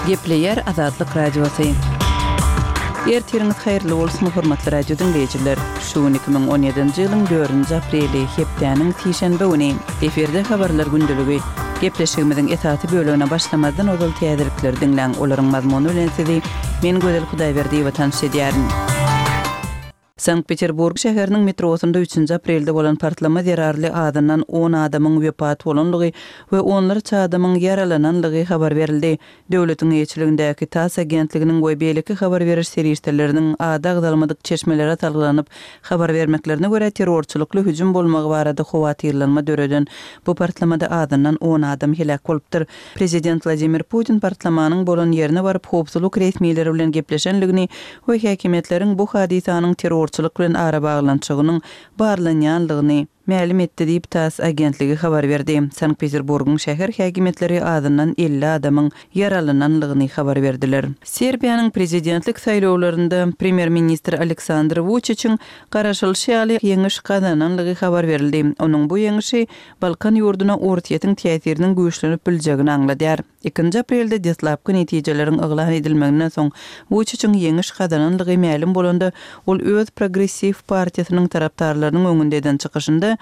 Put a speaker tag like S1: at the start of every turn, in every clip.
S1: Gepleýär Azatlyk Radiosy. Ertiriňiz haýyrly bolsun, hormatly radio diňleýjiler! Şu gün 2017-nji ýylyň dördünji apreli, hepdäniň sişenbe güni. Efirde Habarlar gündeligi. Gepleşigimiziň esasy bölegine başlamazdan ozal täzelikleri diňläň, olaryň mazmuny bilen sizi men Gözel Hudaýberdiýewa tanyş edýärin. Sankt-Peterburg şäheriniň metrosynda üçünji aprelde bolan partlama zerarly azyndan on adamyň wepat bolandygy we onlarça adamyň ýaralanandygy habar berildi. Döwletiň eýeçiligindäki TASS agentliginiň we beýleki habar beriş serişdeleriniň ady agzalmadyk çeşmelere salgylanyp habar bermeklerine görä, terrorçylykly hüjüm bolmagy barada howatyrlanma döreden bu partlamada azyndan on adam heläk bolupdyr. Prezident Wladimir Putin partlamanyň bolan ýerine baryp, howpsuzlyk resmileri bilen gepleşenligini we häkimiýetleriň bu hadysanyň terrorçylyk bilen arabaglanyşygynyň barlanýanlygyny mälim etdi diýip, tass agentligi habar berdi. Sankt-Peterburgyň şäher häkimiýetleri azyndan 50 adamyň ýaralananlygyny habar berdiler. Serbiýanyň prezidentlik saýlawlarynda premýer-ministr Aleksandr Wuçiçiň garaşylyşy ýaly ýeňiş gazananlygy habar berildi. Onuň bu ýeňşi Balkan ýurduna Orsýetiň täsiriniň güýçlenip biljegini aňladýar. Ikinji aprelde deslapky netijeleriň yglan edilmeginden soň Wuçiçiň ýeňiş gazananlygy mälim bolanda, ol öz Progressiw partiýasynyň tarapdarlarynyň öňünde eden çykyşynda,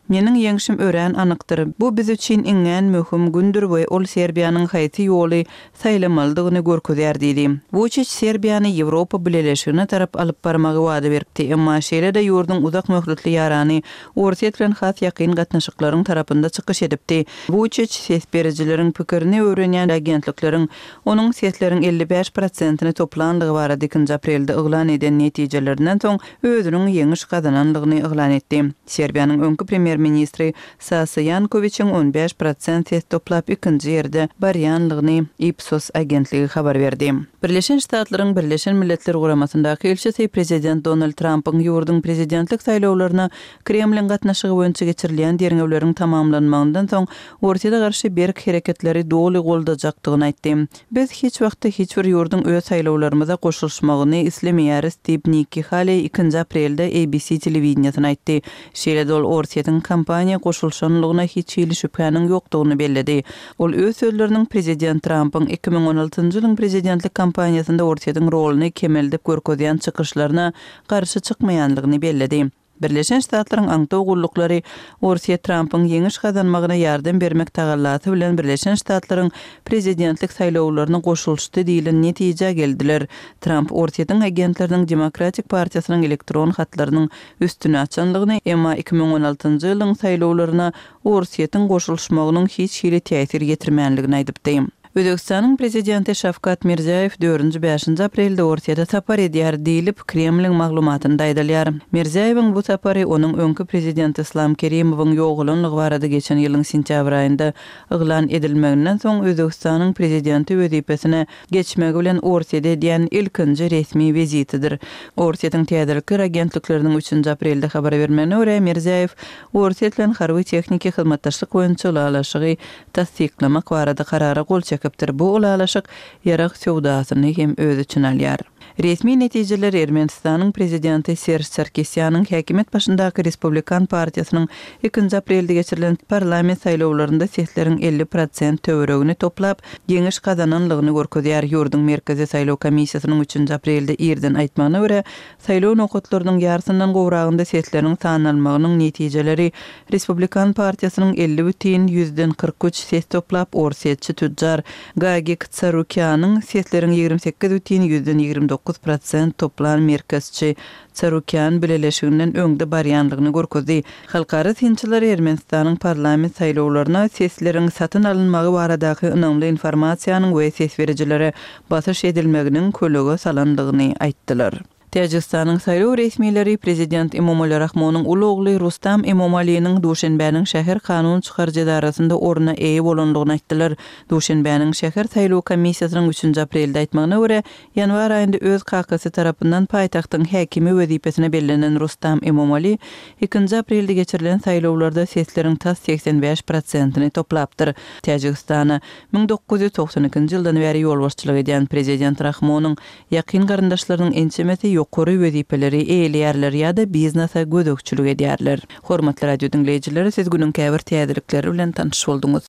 S1: Meniň ýeňşim örän anykdyr. Bu biz üçin iňňän möhüm gündür we ol Serbiýanyň haýsy ýoly saýlamalydygyny görkezýär diýdi. Wuçiç Serbiýany Ýewropa Bileleşigine tarap alyp barmagy wada beripdi, emma şeýle-de ýurduň uzak möhletli ýarany Orsýet bilen has ýakyn gatnaşyklaryň tarapynda çykyş edipdi. Wuçiç ses berijileriň pikirini öwrenýän agentlikleriň onuň sesleriň 55 prosentini toplandygy barada ikinji aprelde yglan eden netijelerinden soň özüniň ýeňiş gazanandygyny yglan etdi. Serbiýanyň öňki premýer-ministri Sasa Ýankowiçiň 15 prosent ses toplap ikinji ýerde barýanlygyny Ipsos agentligi habar berdi. Birleşen Ştatlaryň Birleşen Milletler Guramasyndaky ilçisi prezident Donald Trampyň ýurduň prezidentlik saýlawlaryna Kremliň gatnaşygy boýunça geçirilýän derňewleriň tamamlanmagyndan soň Orsýete garşy berk hereketleri doly goldajakdygyny aýtdy. Biz hiç wagtda hiç bir ýurduň öz saýlawlarymyza goşulyşmagyny islemeýäris diýip, Nikki Haleý ikinji aprelde ABC telewideniýesine aýtdy. Şeýle-de ol Orsýetiň kampaniýa goşulyşanlygyna hiç hili şübhäniň ýokdugyny belledi. Ol öz sözleriniň prezident Trampyň 2016-njy ýylyň prezidentlik kampaniýasynda Orsýetiň roluny kemeldip görkezýän çykyşlaryna garşy çykmaýanlygyny belledi. Birleşen Ştatlaryň aňtaw gulluklary Orsýet Trampyň ýeňiş gazanmagyna ýardam bermek tagallasy bilen Birleşen Ştatlaryň prezidentlik saýlawlaryna goşulyşdy diýlen netijä geldiler. Tramp Orsýetiň agentleriniň Demokratik partiýasynyň elektron hatlarynyň üstüni açanlygyny, emma 2016-njy ýylyň saýlawlaryna Orsýetiň goşulyşmagynyň hiç hili täsir ýetirmänligini aýdypdy. Özbegistanyň prezidenti Şawkat Mirziýoýew dördünji-bäşinji aprelde Orsýete sapar edýär diýlip, Kremliň maglumatynda aýdylýar. Mirziýoýewiň bu sapary onuň öňki prezident Yslam Kerimowyň ýogalanlygy barada geçen ýylyň sentýabr aýynda yglan edilmeginden soň Özbegistanyň prezidenti wezipesine geçmegi bilen Orsýete edýän ilkinji resmi wizitidir. Orsýetiň täzelikler agentlikleriniň üçünji aprelde habar bermegine görä, Mirziýoýew Orsýet bilen harby-tehniki hyzmatdaşlyk boýunça ylalaşygy tassyklamak barada karara gol çekipdir. Bu ylalaşyk ýarag söwdasyny hem öz içine alýar. Resmi netijeler Ermenistanyň prezidenti Serž Sarkisýanyň häkimiýet başyndaky Respublikan partiýasynyň ikinji aprelde geçirilen parlament saýlawlarynda sesleriň 50 prosent töweregini toplap, ýeňiş gazananlygyny görkezýär. Ýurduň Merkezi saýlaw komissiýasynyň üçünji aprelde irden aýtmagyna görä, Saýlaw nokatlarynyň ýarysyndan gowragynda sesleriň sanalmagynyň netijeleri Respublikan partiýasynyň 50,43 ses toplap, orsýetçi tütjar Gagik Tsarukýanyň sesleriň 28,29 prosent toplan merkezçi Tsarukýan bileleşiginden öňde barýanlygyny görkezdi. Halkara synçylar Ermenistanyň parlament saýlawlaryna sesleriň satyn alynmagy baradaky ynamly informasiýanyň we ses berijilere basyş edilmeginiň kölege salandygyny aýtdylar. Täjigistanyň saýlaw resmileri prezident Emomali Rahmonyň uly ogly Rustam Emomaliniň Duşenbäniň şäher kanun çykaryjy edarasynda orna eýe bolandygyny aýtdylar. Duşenbäniň şäher saýlaw komissiýasynyň üçünji aprelde aýtmagyna görä, ýanwar aýynda öz kakasy tarapyndan paýtagtyň häkimi wezipesine bellenen Rustam Emomali ikinji aprelde geçirilen saýlawlarda sesleriň tas 85 prosentini toplapdyr. Täjigistana 1992-nji ýyldan bäri ýolbaşçylyk edýän prezident Rahmonyň ýakyn garyndaşlarynyň ençemesi ýokary wezipeleri eýeleýärler ýa-da biznese gözegçilik edýärler. Hormatly radio diňleýjiler, siz günüň käbir täzelikleri bilen tanyş bolduňyz.